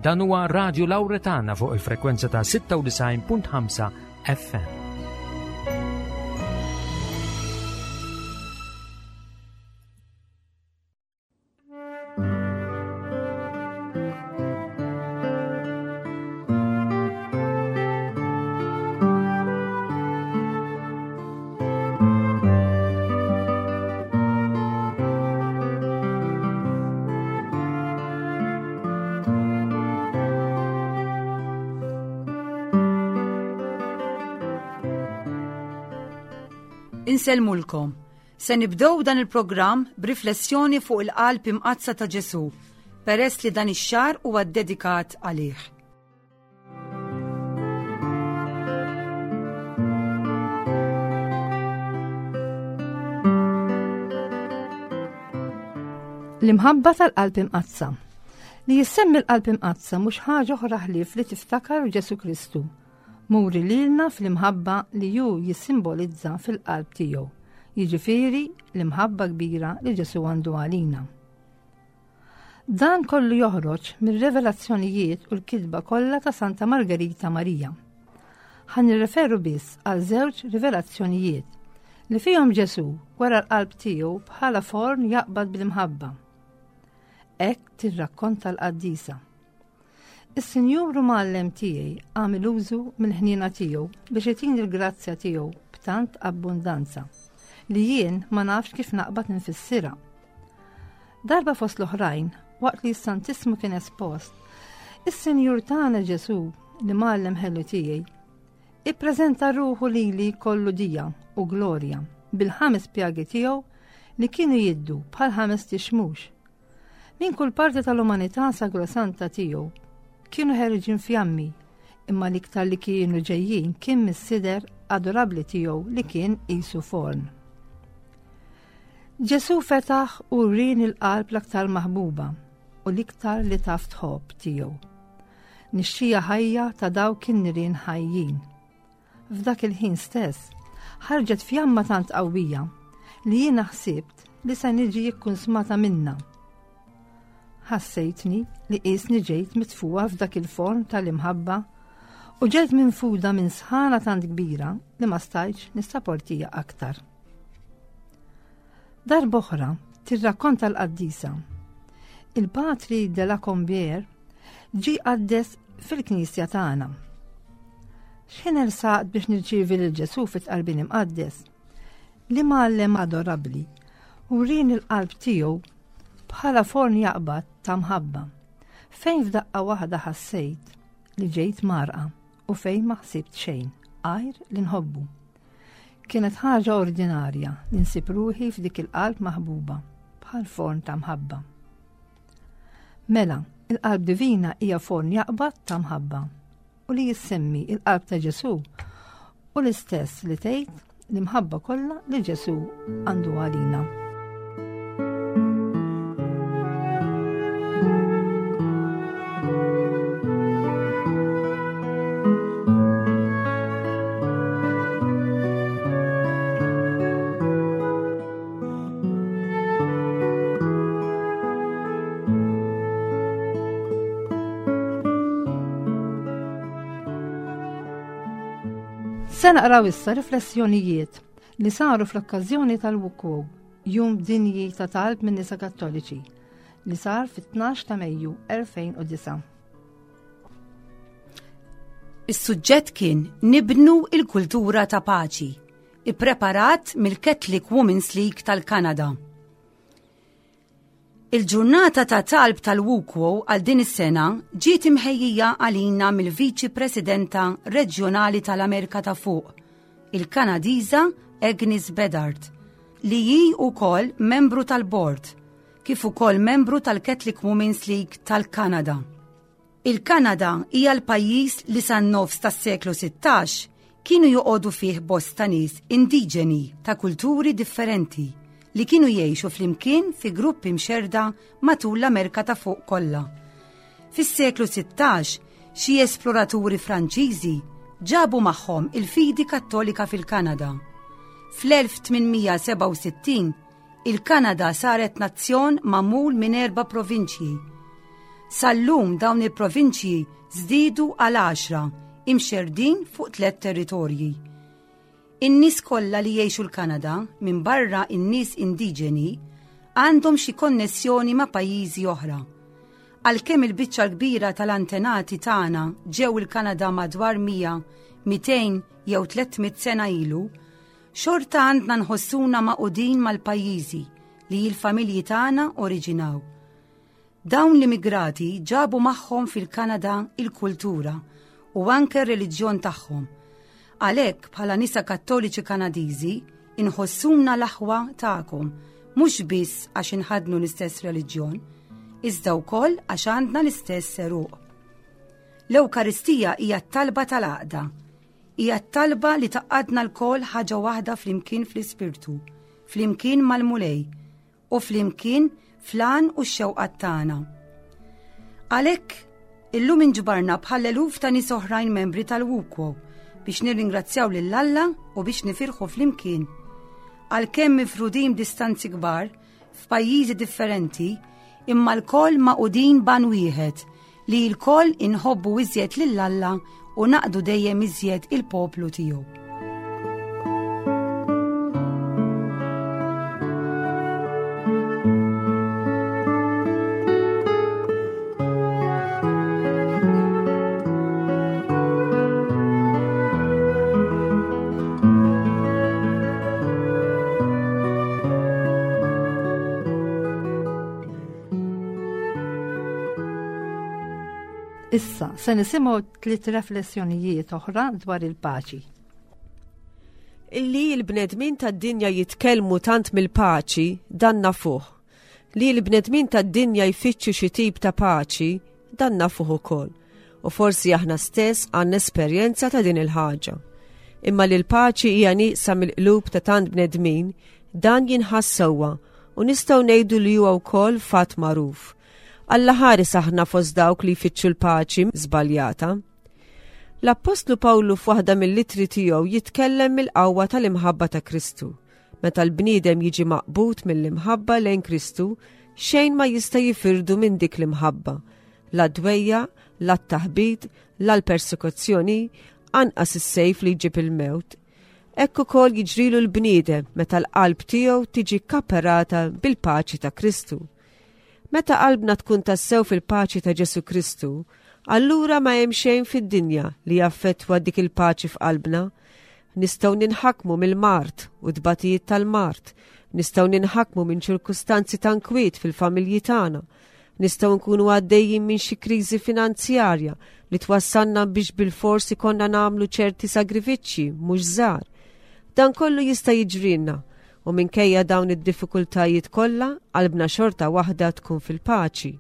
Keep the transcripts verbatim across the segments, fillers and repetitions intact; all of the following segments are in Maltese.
Dan huwa Radio Lauretana fuq il-frekwenza ta' sitta u disgħin punt ħamsa F M. Insellmulkom. Se nibdew dan il-programm b'riflessjoni fuq il-qalb imqaddsa ta' Ġesu, peress li dan ix-xahar huwa dedikat għalih. L-imħabba tal-qalb imqaddsa. Li jissemmi l-qalb imqaddsa mhux ħaġa oħra ħlief li tiftakar Ġesu Kristu. Muri lilna fl-imħabba li ju jissimbolizza fil-qalb tiegħu. Jiġifieri l-imħabba kbira li Ġesu għandu għalina. Dan kollu joħroġ mir-revelazzjonijiet u l-kitba kollha ta' Santa Margherita Marija. Ħa nirreferu biss għal żewġ rivelazzjonijiet li fihom Ġesu wera l-qalb tiegħu bħala forn jaqbad bil-imħabba. Hekk tirrakkonta l-qaddisa. Is-Sinjur Mgħallem tiegħi għamel użu mill-ħniena tiegħu biex itini l-grazzja tiegħu b'tant abbundanza li jien ma nafx kif naqbad nfissirha. Darba fost l-oħrajn, waqt li s-Santissmu kien espost, is-Sinjur tagħna Ġesu li mgħallem ħelu tiegħi, ippreżenta ruħu lili kollu dija u glorja bil-ħames pjagi tiegħu li kienu jiddu bħal ħames tixmux. Min kull parti tal-umanità sagrosanta tiegħu kienu ħerġin fjammi, imma l-iktar li kienu ġejjin kien mis-sider adorabli tiegħu li kien qisu forn. Ġesu fetaħ u wrieni l-qalb l-aktar maħbuba u l-iktar li taf tħobb tiegħu. Nixxija ħajja ta' dawk in-nirien ħajjin. F'dak il-ħin stess, ħarġet fjamma tant qawwija li jiena ħsibt li se niġi ikkunsmata minna. Ħassejtni li qisni ġejt mitfuha f'dak il-forn tal-imħabba u ġejt minfuda minn sħana tant kbira li ma stajtx nissaportiha aktar. Darb'oħra tirrakkonta l-qaddisa. Il-patri de la Combier ġi qaddes fil-knisja tagħna. X'ħin ersaqt biex nirċievi lil Ġesu fit-tqarbin imqaddes, l-imgħallem adorabli wrieni l-qalb tiegħu bħala forn jaqbad ta' mħabba, fejn f'daqqa waħda ħassejt li ġejt mgħarrqa u fejn ma ħsibt xejn, għajr li nħobbu. Kienet ħaġa ordinarja li nsib ruħi f'dik il-qalb maħbuba bħal forn ta' mħabba. Mela, il-qalb divina hija forn jaqbad ta' mħabba u li jissemmi il-qalb ta' Ġesu u l-istess li tgħid l-imħabba kollha li Ġesu għandu għalina. Se naqraw issa riflessjonijiet li saru fl-okkażjoni tal-Wukwu, Jum Dinji ta' Talb minn Nisa Kattoliċi, li sar fit-tnax ta' Mejju elfejn u disgħa. Is-suġġett kien "Nibnu il-kultura ta' paċi", ippreparat mill-Catholic Women's League tal-Kanada. Il-ġurnata ta' talb tal-Wukwo għal din is-sena ġiet imħejjija għalina mill-Viċi Presidenta Reġjonali tal-Amerika ta' Fuq, il-Kanadiża Agnes Bedard, li hi wkoll membru tal-Bord, kif ukoll membru tal-Catholic Women's League tal-Kanada. Il-Kanada hija l-pajjiż li san-nofs tas-seklu sittax kienu joqogħdu fih bosta nies indiġeni ta' kulturi differenti li kienu jgħixu flimkien fi gruppi mxerda matul l-Amerika ta' Fuq kollha. Fis-seklu sittax, xi esploraturi Franċiżi ġabu magħhom il-fidi Kattolika fil-Kanada. Fl-elf tmien mija sebgħa u sittin il-Kanada saret nazzjon magħmul minn erba' provinċji. Sal-lum dawn il-provinċji żdiedu għal għaxra imxerdin fuq tliet territorji. In-nies kollha li jgħixu l-Kanada minn barra in-nies indiġeni għandhom xi konnessjoni ma' pajjiżi oħra. Għalkemm il-biċċa l-kbira tal-antenati tagħna ġew il-Kanada madwar mija, mitejn jew tliet mitt sena ilu, xorta għandna nħossuna magħqudin mal-pajjiżi li l-familji tagħna oriġinaw. Dawn l-immigrati ġabu magħhom fil-Kanada il-kultura u anke r-reliġjon tagħhom. Għalhekk bħala nisa Kattoliċi Kanadiżi inħossuna l-aħwa tagħkom, mhux biss għax inħadnu l-istess reliġjon, iżda wkoll għax għandna l-istess għeruq. L-Ewkaristija hija t-talba tal-għaqda. Hija t-talba li tgħaqqadna lkoll ħaġa waħda flimkien fl-Ispirtu, flimkien mal-Mulej u flimkien fl-għan u x-xewqat tagħna. Għalhekk illum inġbarna bħal eluf ta' nies oħrajn membri tal-WUKWO biex nirringrazzjaw lil Alla u biex nifirħu flimkien. Għalkemm mifrudin b'distanzi kbar f'pajjiżi differenti, imma lkoll magħqudin b'għan wieħed li lkoll inħobbu iżjed lil Alla u naqdu dejjem iżjed il-poplu tiegħu. Issa, se nisimgħu tliet riflessjonijiet oħra dwar il-paċi. Illi l-bnedmin tad-dinja jitkellmu tant mill-paċi, dan nafuh. Li l-bnedmin tad-dinja jfittxu xi tip ta' paċi, dan nafuh ukoll. U forsi aħna stess għandna esperjenza ta' din il-ħaġa. Imma li l-paċi hija nieqsa mill-qlub ta' tant bnedmin, dan jinħass sewwa u nistgħu ngħidu li huwa wkoll fatt magħruf. Alla ħares aħna fost dawk li jfittxu l-paċi żbaljata. L-Appostlu Pawlu f'waħda mill-ittri tiegħu jitkellem mill-qawwa tal-imħabba ta' Kristu. Meta l-bniedem jiġi maqbud mill-imħabba lejn Kristu, xejn ma jista' jifirdu minn dik l-imħabba. La dwejja, la t-taħbit, la l-persekuzzjoni, anqas is-sejf li jġib il-mewt. Hekk ukoll jiġrilu l-bniedem meta l-qalb tiegħu tiġi kaperata bil-paċi ta' Kristu. Meta qalbna tkun tassew fil-paċi ta' Ġesu Kristu, allura ma hemm xejn fid-dinja li jaffettwa dik il-paċi f'qalbna. Nistgħu ninħakmu mill-mard u tbatijiet tal-mard, nistgħu ninħakmu minn ċirkustanzi ta' nkwiet fil-familji tagħna, nistgħu nkunu għaddejjin minn xi kriżi finanzjarja li twassalna biex bilfors ikollna nagħmlu ċerti sagrifiċċji mhux żgħar. Dan kollu jista' jiġrilna. U minkejja dawn id-diffikultajiet kollha, qalbna xorta waħda tkun fil-paċi.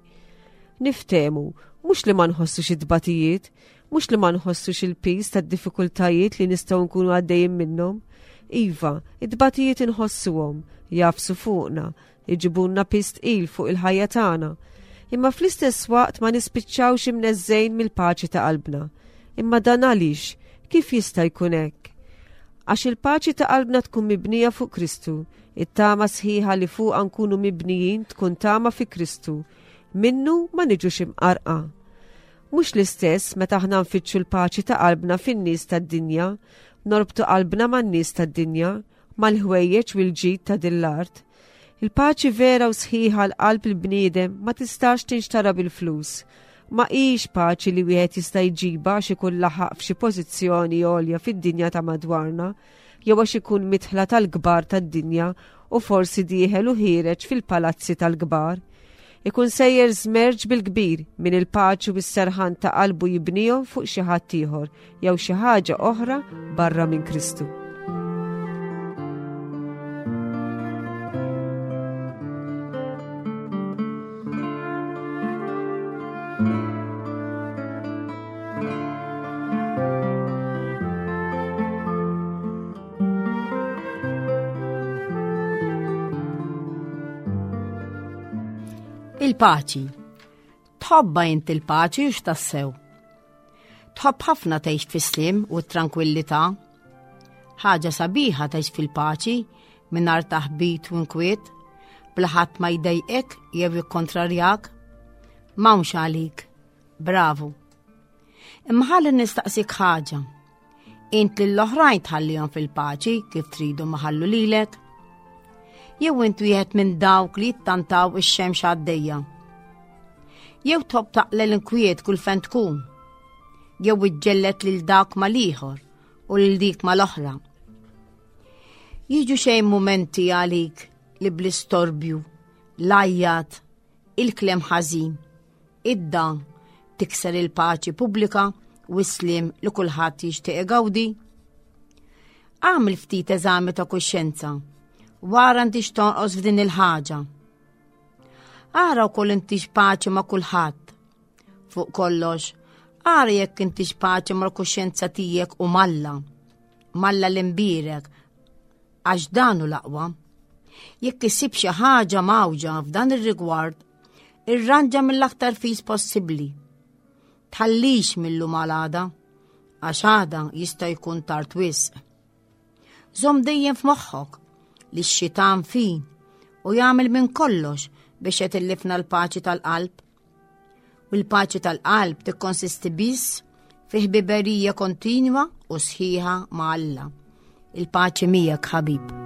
Niftehmu, mhux li ma nħossux it-tbatijiet, mhux li ma nħossux il-piż tad-diffikultajiet li nistgħu nkunu għaddejjin minnhom. Iva, it-tbatijiet inħossuhom, jafsu fuqna, iġibulna piż tqil fuq il-ħajja tagħna. Imma fl-istess waqt ma nispiċċawx imneżżejn mill-paċi ta' qalbna. Imma dan għaliex? Kif jista' jkun hekk? Għax il-paċi ta' qalbna tkun mibnija fuq Kristu, it-tama sħiħa li fuqha nkunu mibnijin tkun tama fi Kristu, minnu ma niġux imqarqa. Mhux l-istess meta aħna nfittxu l-paċi ta' qalbna fin-nies tad-dinja, norbtu qalbna man-nies tad-dinja, mal-ħwejjeġ u l-ġid ta' din l-art. Il-paċi vera u sħiħa l-qalb il-bniedem ma tistax tinxtara bil-flus. Ma hix paċi li wieħed jista' jġibha għax ikun laħaq f'xi pożizzjoni għolja fid-dinja ta' madwarna, jew għax ikun mitħla tal-kbar tad-dinja u forsi dieħel u ħiereġ fil-palazzi tal-kbar. Ikun sejjer żmerġ bil-kbir minn il-paċi u s-serħan ta' qalbu jibnihom fuq xi ħadd ieħor jew xi ħaġa oħra barra minn Kristu. Il-paċi. Tħobba int il-paċi u x'tassew? Tħobb ħafna tgħix fis-sliem u t-trankwillità. Ħaġa sabiħa tgħix fil-paċi mingħajr taħbit u nkwiet, bla ħadd ma jdejqek jew jikkontrarjak. M'hawnx għalik. Bravu. Imma ħalli nistaqsik ħaġa. Int lill-oħrajn tħallihom fil-paċi kif tridu ma ħallu lilek? Jew int wieħed minn dawk li jittantaw ix-xemx għaddejja? Jew tħobb taqla' l-inkwiet kull fejn tkun? Jew iġġellet lil dak mal-ieħor u lil dik mal-oħra? Jiġu xejn mumenti għalik li bl-istorbju, l-għajjat, il-kliem ħażin, id-dan tikser il-paċi pubblika u s-sliem li kulħadd jixtieq igawdi? Agħmel ftit eżami ta' kuxjenza wara intix tonqos f'din il-ħaġa. Ara wkoll intix paċi ma' kulħadd. Fuq kollox, ara jekk intix paċi mal-kuxjenza tiegħek u m'Alla. M'Alla l-imbierek, għax dan hu l-aqwa. Jekk issib xi ħaġa mgħawġa f'dan ir-rigward, irranġa mill-aktar fis possibbli. Tħallix mil-lum għal għada, għax għada jista' jkun tard wisq. Żomm dejjem f'moħħok li x-xitan fin u jagħmel minn kollox biex jetillifna l-paċi tal-qalb. U l-paċi tal-qalb tikkonsisti biss fi ħbiberija kontinwa u sħiħa ma' Alla. Il-paċi miegħek, ħabib.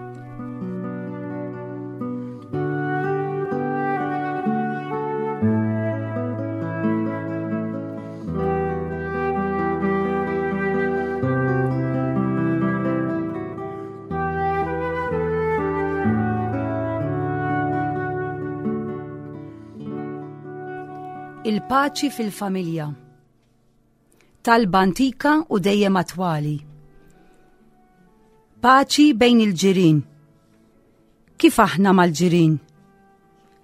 Il-paċi fil-familja. Talba antika u dejjem attwali. Paċi bejn il-ġirien. Kif aħna mal-ġirien?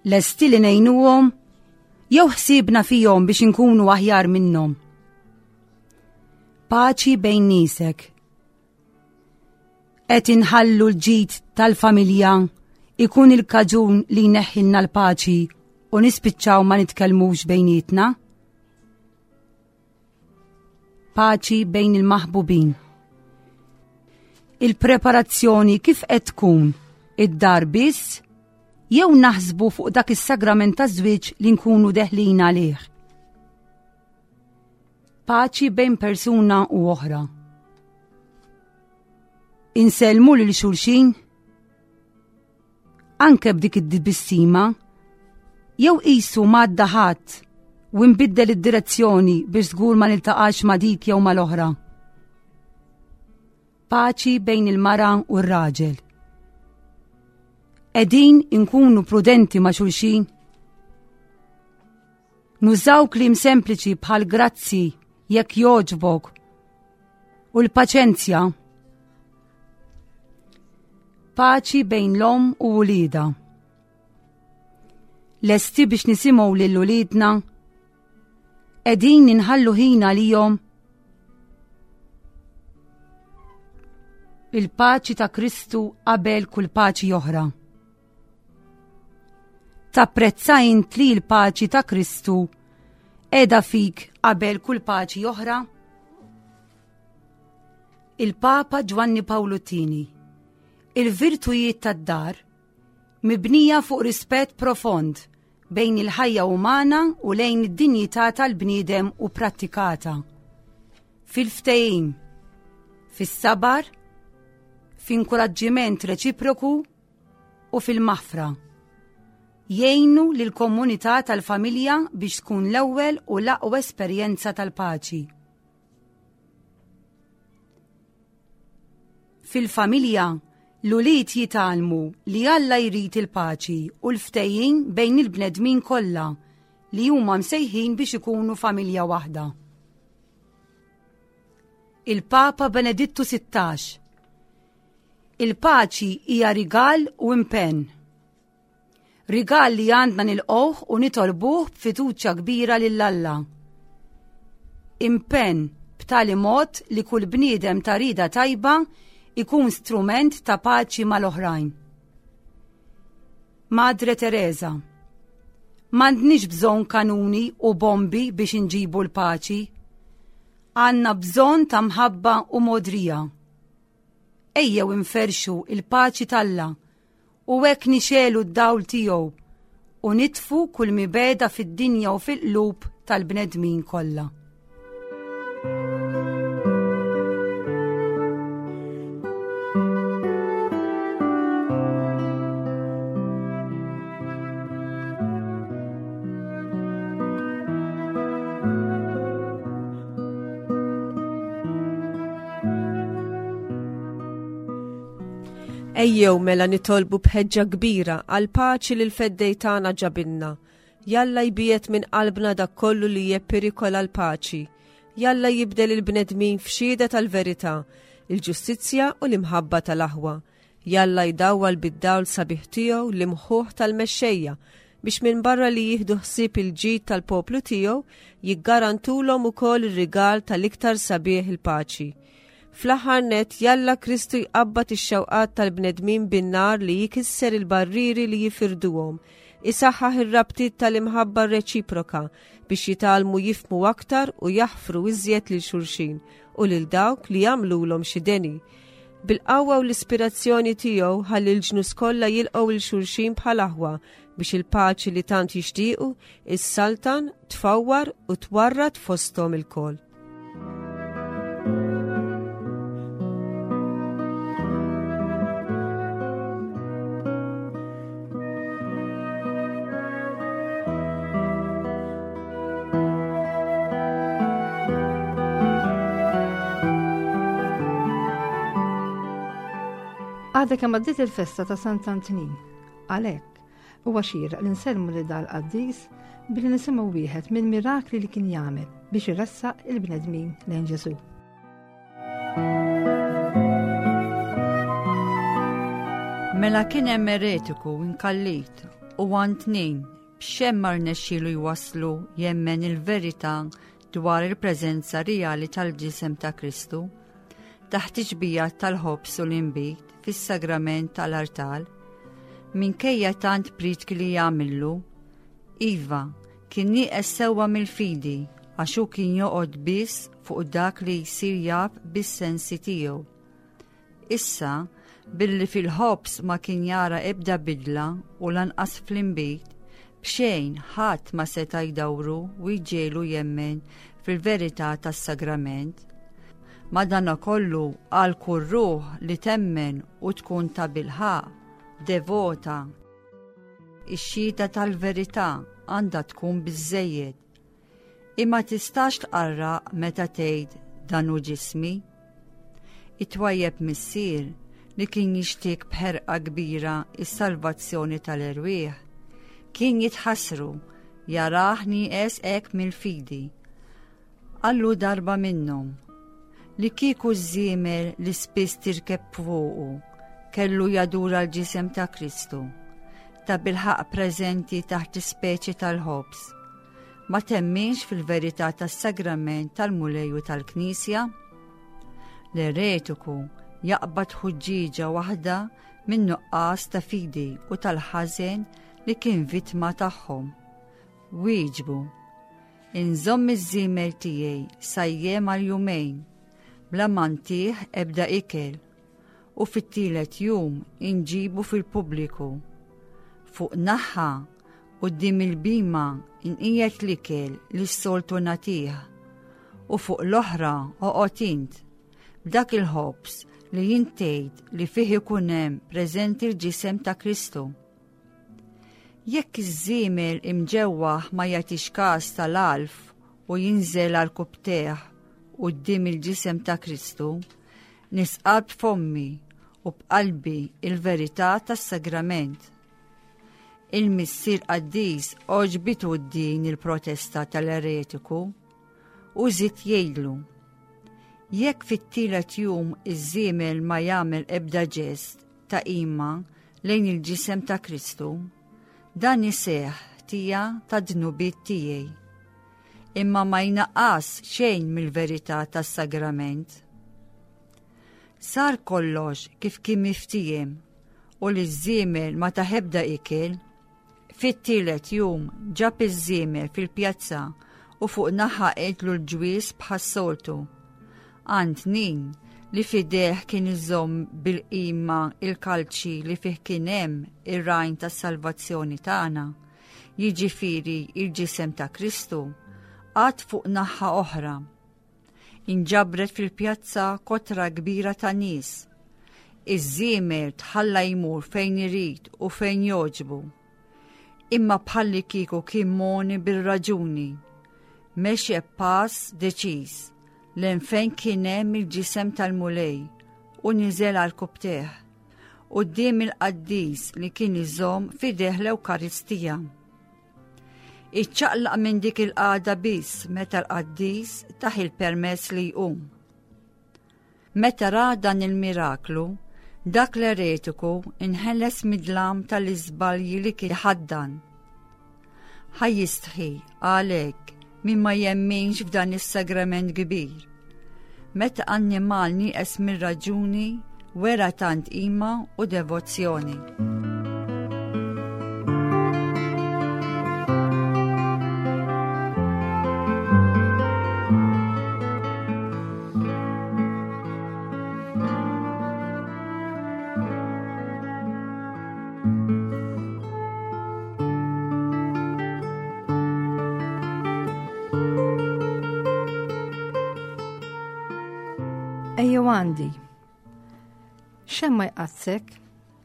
Lesti li ngħinuhom jew ħsiebna fihom biex inkunu aħjar minnhom? Paċi bejn niesek. Qed inħallu l-ġid tal-familja ikun il-kaġun li jneħħilna l-paċi u nispiċċaw ma nitkellmux bejnietna? Paċi bejn il-maħbubin. Il-preparazzjoni kif qed tkun? Id-dar biss jew naħsbu fuq dak is-sagrament taż-żwieġ li nkunu deħlin għalih? Paċi bejn persuna u oħra. Insellmu lil xulxin? Anke b'dik id-tbissima, jew qisu m'għadda ħadd u nbiddel id-direzzjoni biex żgur ma niltaqax ma' dik jew mal-oħra. Paċi bejn il-mara u r-raġel. Qegħdin inkunu prudenti ma' xulxin? Nużaw kliem sempliċi bħal grazzi jekk jogħġbok u l-paċenzja. Paċi bejn l-omm u wliedha. Lesti biex nisimgħu lil uliedna? Qegħdin inħallu ħin għalihom? Il-paċi ta' Kristu qabel kull paċi oħra. Tapprezza int li l-paċi ta' Kristu qiegħda fik qabel kull paċi oħra? Il-Papa Ġwanni Pawlu t-tieni. Il-virtujiet tad-dar mibnija fuq rispett profond bejn il-ħajja umana u lejn id-dinjità tal-bniedem u prattikata. Fil-ftehim, fis-sabar, f'inkoraġġiment reċiproku u fil-maħfra. Jgħinu lill-komunità tal-familja biex tkun l-ewwel u l-aqwa esperjenza tal-paċi. Fil-familja, l-ulied jitgħallmu li Alla jrid il-paċi u l-ftehim bejn il-bnedmin kollha li huma msejħin biex ikunu familja waħda. Il-Papa Benedittu sittax. Il-paċi hija rigal u impenn. Rigal li għandna nilqgħuh u nitolbuh b'fiduċja kbira lil Alla. Impenn b'tali mod li kull bniedem ta' rieda tajba ikun strument ta' paċi mal-oħrajn. Madre Teresa. M'għandniex bżonn kanuni u bombi biex inġibu l-paċi. Għandna bżonn ta' mħabba u modrija. Ejjew inferxu il-paċi t'Alla u hekk nixelu d-dawl tiegħu u nitfu kull mibegħda fid-dinja u fil-qlub tal-bnedmin kollha. Ejjew mela nitolbu b'ħeġġa kbira għal paċi li l-feddej tagħna ġabilna. Jalla jbiet minn qalbna dak kollu li jepperikola l-paċi. Jalla jibdel il-bnedmin f'xhieda tal-verità, il-ġustizzja u l-imħabba tal-aħwa. Jalla jdawwal bid-dawl sabiħ tiegħu l-imħuħ tal-mexxejja biex minn barra li jieħdu ħsieb il-ġid tal-poplu tiegħu jiggarantulhom ukoll ir-rigal tal-iktar sabiħ il-paċi. Fl-aħħar nett jalla Kristu jqabbad ix-xewqat tal-bnedmin bin-nar li jkisser il-barrieri li jifirduhom, isaħħaħ ir-rabtiet tal-imħabba reċiproka biex jitgħallmu jifhmu aktar u jaħfru iżjed lil xulxin u lil dawk li jagħmlulhom xi deni. Bil-qawwa u l-ispirazzjoni tiegħu ħalli l-ġnus kollha jilqgħu lil xulxin bħal aħwa biex il-paċi li tant jixtiequ is-saltan tfawwar u twarrad fosthom ilkoll. Għadha kemm għaddiet il-festa ta' Sant'Antnin. Għalhekk, huwa xieraq li nsellmu lil dal-qaddis billi nisimgħu wieħed minn mirakli li kien jagħmel biex iressaq il-bnedmin lejn Ġesù. Mela kien hemm eretiku inkallit u Antnin b'xejn ma rnexxielu jwasslu jemmen il-verità dwar il-preżenza reali tal-ġisem ta' Kristu taħt iġbija tal-ħobż u l-inbid fis-sagrament tal-artal, minkejja tant prietki li jagħmillu. Iva, kien nieqes sewwa mill-fidi għax hu kien joqgħod biss fuq dak li jsir jaf bis-sensi tiegħu. Issa, billi fil-ħobż ma kien jara ebda bidla u lanqas fl-inbid, b'xejn ħadd ma seta' jdawru u jġiegħlu jemmen fil-verità tas-sagrament. Madanakollu għal kull ruħ li temmen u tkun ta' bilħaq, devota, ix-xhieda tal-verità għandha tkun biżżejjed. Imma tistax tqarraq meta tgħid dan hu ġismi. It-twajjeb missier li kien jixtieq b'ħerqa kbira is-salvazzjoni tal-erwieħ, kien jitħassru jarah nieqes hekk mill-fidi. Qallu darba minnhom li kieku ż-żiemel li spiss tirkeb fuqu kellu jadura l-ġisem ta' Kristu, ta' bilħaq preżenti taħt ispeċi tal-ħobż. Ma temminx fil-verità tas-sagrament tal-Mulej u tal-Knisja? L-eretiku jaqbad ħuġġieġa waħda minn nuqqas ta' fidi u tal-ħażen li kien vittma tagħhom. Wieġbu, inżomm iż-żiemel tiegħi sajjem għal jumejn, bla ma ntih ebda ikel, u fit-tielet jum inġibu fil-pubbliku. Fuq naħa quddiem il-bima inqiegħed l-ikel li s-soltu nagħtih, u fuq l-oħra oqgħod int b'dak il-ħobż li jien tgħid li fih ikun hemm preżenti l-ġisem ta' Kristu. Jekk iż-żiemel imġewwaħ ma jagħtix każ tal-għalf u jinżel għal kubteh quddiem il-ġisem ta' Kristu, nisqal b'fommi u b'qalbi il-verità tas-sagrament. Il-missier qaddis għoġbitu din il-protesta tal-eretiku u żied jgħidlu: jekk fit-tielet jum iż-żiemel ma jagħmel ebda ġest ta' qima lejn il-ġisem ta' Kristu, dan iseħħ ħtija ta' dnubiet tiegħi, imma ma jnaqqas xejn mill-verità tas-sagrament. Sar kollox kif kien miftiem u li ż-żiemel ma taħebda ikel. Fit-tielet jum ġab iż-żiemel fil-pjazza u fuq naħa qedlu l-ġwies bħas-soltu. Antnin li fideh kien iżomm bil-qima il-kalċi li fih kien hemm ir-rajn tas-salvazzjoni tagħna, jiġifieri il-ġisem ta' Kristu, qagħad fuq naħa oħra. Inġabret fil-pjazza kotra kbira ta' nies. Iż-żiemel tħalla jmur fejn irid u fejn jogħġbu. Imma bħalli kieku kien moni bil-raġuni. Mexe pass deċiż lejn fejn kien hemm il-ġisem tal-Mulej u niżel għal kubteh quddiem il-qaddis li kien iżomm f'idejh l-Ewkaristija. Iċċaqlaq minn dik il-qagħda biss meta l-qaddis tah il-permess li jqum. Meta ra dan il-miraklu, dak l-eretiku inħeles mid-dlam tal-iżbalji li kien ħaddan. Ħa jistħi għalhekk min ma jemminx f'dan is-sagrament kbir. Meta annimal nieqes mir-raġuni wera tant qima u devozzjoni. Ejjew għandi. Xejn ma jqadsek,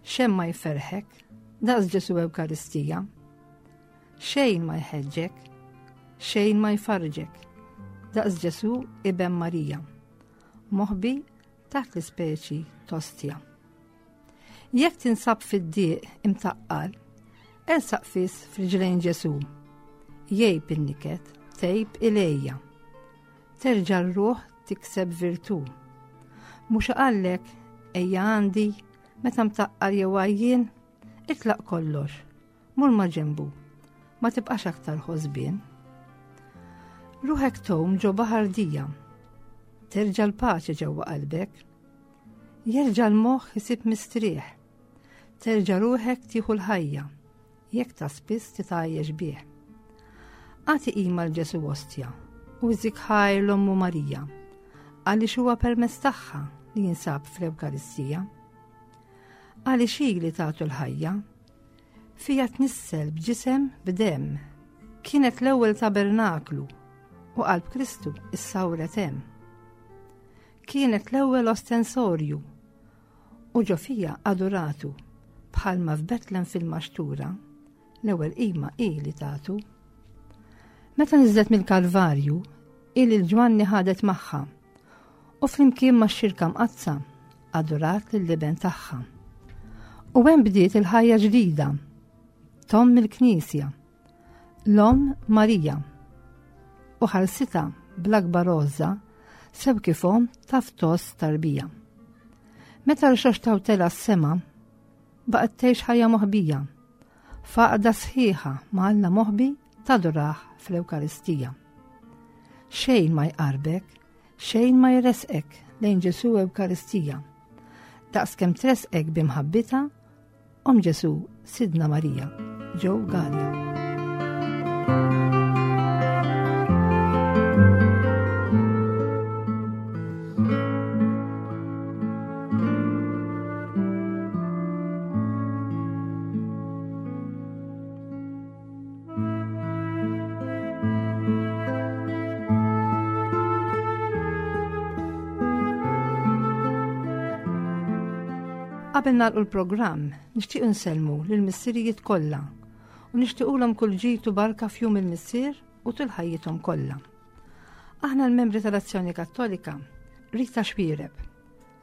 xejn ma jferħek, daqs Ġesu Ewkaristija. Xejn ma jħeġġek, xejn ma jfarġek, daqs Ġesu Iben Marija, moħbi taħt l-ispeċi tostja. Jekk tinsab fid-dieq imtaqqal, ersaq fis fil-ġlejn Ġesu. Jgħib in-niket, tgħib ilejja. Terġa' r-ruħ tikseb virtu. Mhux għallek ejja għandi meta mtaqqal jew għajjien, itlaq kollox, mur ma' ġenbu, ma tibqax aktar ħosbien. Ruħek tgħum ġo baħar dija, terġa' l-paċi ġewwa qalbek, jerġa' l-moħħ isib mistrieħ, terġa' ruħek tieħu l-ħajja, jekk ta' spiss titgħajjex bih. Agħti qima l Ġesu Ostja u żik ħajr l-Ommu Marija, għaliex huwa permezz tagħha li jinsab fl-Ewkaristija. Għaliex hi li tagħtu l-ħajja, fija tnissel b'ġisem b'demm, kienet l-ewwel tabernaklu u qalb Kristu issawret hemm. Kienet l-ewwel ostensorju u ġo fija aduratu bħalma f'Betlem fil-maxtura l-ewwel qima hi li tagħtu. Meta niżlet mill-Kalvarju, hi lil Ġwanni ħadet magħha u flimkien max-xirka mqaddsa adurat lill-iben tagħha. U hemm bdiet il-ħajja ġdida, tomm il-Knisja, l-Omm Marija, u ħarsitha bl-akbar għożża sew kif omm taf tgħożż tarbija. Meta rxoxtaw tela s-sema, baqgħet tgħix ħajja moħbija, faqda sħiħa ma' Alla moħbi tadurah fl-Ewkaristija. Xejn ma jqarbek, xejn ma jresqek lejn Ġesu Ewkaristija. Daqs kemm tresqek b'imħabbitha, Omm Ġesu Sidna Marija, Joe Galea. Qabel nagħlqu l-programm, nixtieq insellmu lill-missirijiet kollha u nixtiequlhom kull ġid u barka f'jum il-missier u tul ħajjithom kollha. Aħna l-membri tal-Azzjoni Kattolika, Rita Xuereb,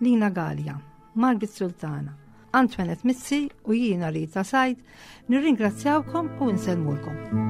Lina Galea, Margit Sultana, Antoinette Mizzi u jiena Rita Said, nirringrazzjawkom u nsellmulkom.